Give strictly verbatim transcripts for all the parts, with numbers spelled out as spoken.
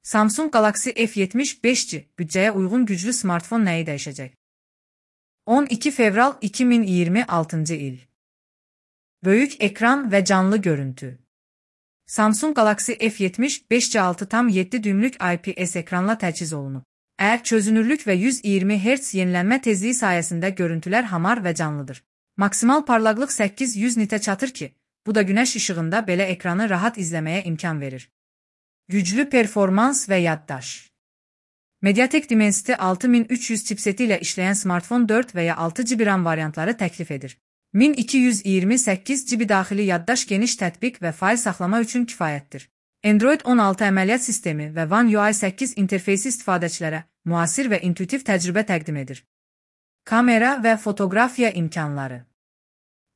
Samsung Galaxy F yetmiş beş G bütçeye uygun güclü smartfon neyi dəyişəcək? on iki fevral iki min iyirmi altıncı il. Böyük ekran ve canlı görüntü. Samsung Galaxy F yetmiş beş G altı tam yeddi düymlük I P S ekranla təchiz olunub. Əgər çözünürlük ve yüz iyirmi hertz yenilənmə tezliyi sayesinde görüntüler hamar ve canlıdır. Maksimal parlaqlıq səkkiz yüz nitə çatır ki, bu da güneş ışığında belə ekranı rahat izlemeye imkan verir. Güclü performans ve yaddaş. Mediatek Dimensity altı min üç yüz chipseti ile işleyen smartfon dört veya altı G B RAM variantları teklif edir. min iki yüz iyirmi səkkiz G B daxili yaddaş geniş tətbiq və fail saxlama üçün kifayətdir. Android on altı əməliyyat sistemi və One U I səkkiz interfeysi istifadəçilərə müasir və intuitiv təcrübə təqdim edir. Kamera və fotoqrafiya imkanları.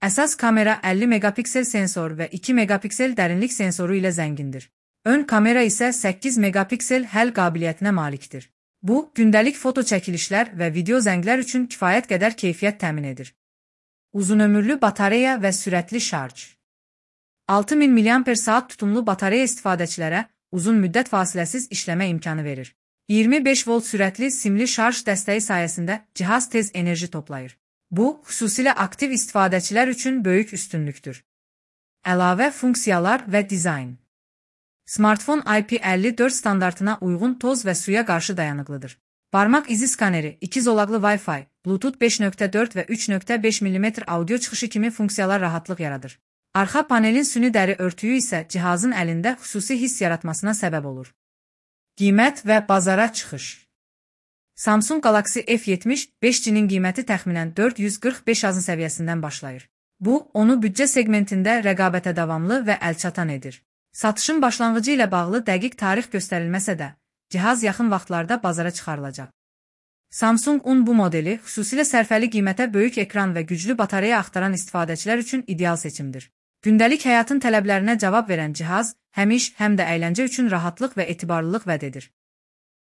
Əsas kamera əlli megapiksel sensor və iki megapiksel dərinlik sensoru ilə zəngindir. Ön kamera isə səkkiz megapiksel həll qabiliyyətinə malikdir. Bu, gündəlik foto çəkilişlər və video zənglər üçün kifayət qədər keyfiyyət təmin edir. Uzunömürlü batareya və sürətli şarj. altı min miliamper saat tutumlu batareya istifadəçilərə uzun müddət fasiləsiz işləmə imkanı verir. iyirmi beş volt sürətli simli şarj dəstəyi sayəsində cihaz tez enerji toplayır. Bu, xüsusilə aktiv istifadəçilər üçün böyük üstünlükdür. Əlavə funksiyalar və dizayn. Smartfon I P əlli dörd standartına uyğun toz və suya qarşı dayanıqlıdır. Barmaq izi skaneri, iki zolaqlı Wi-Fi, Bluetooth beş nöqtə dörd və üç nöqtə beş millimetr audio çıxışı kimi funksiyalar rahatlıq yaradır. Arxa panelin süni dəri örtüyü isə cihazın əlində xüsusi hiss yaratmasına səbəb olur. Qiymət və bazara çıxış. Samsung Galaxy F yetmiş beş G-nin qiyməti təxminən dörd yüz qırx beş azın səviyyəsindən başlayır. Bu, onu büdcə segmentində rəqabətə davamlı və əlçatan edir. Satışın başlanğıcı ilə bağlı dəqiq tarix göstərilməsə də, cihaz yaxın vaxtlarda bazara çıxarılacaq. Samsung on bu modeli xüsusilə sərfəli qiymətə böyük ekran və güclü batareya axtaran istifadəçilər üçün ideal seçimdir. Gündəlik həyatın tələblərinə cavab verən cihaz, həm iş, həm də əyləncə üçün rahatlıq və etibarlılıq vəd edir.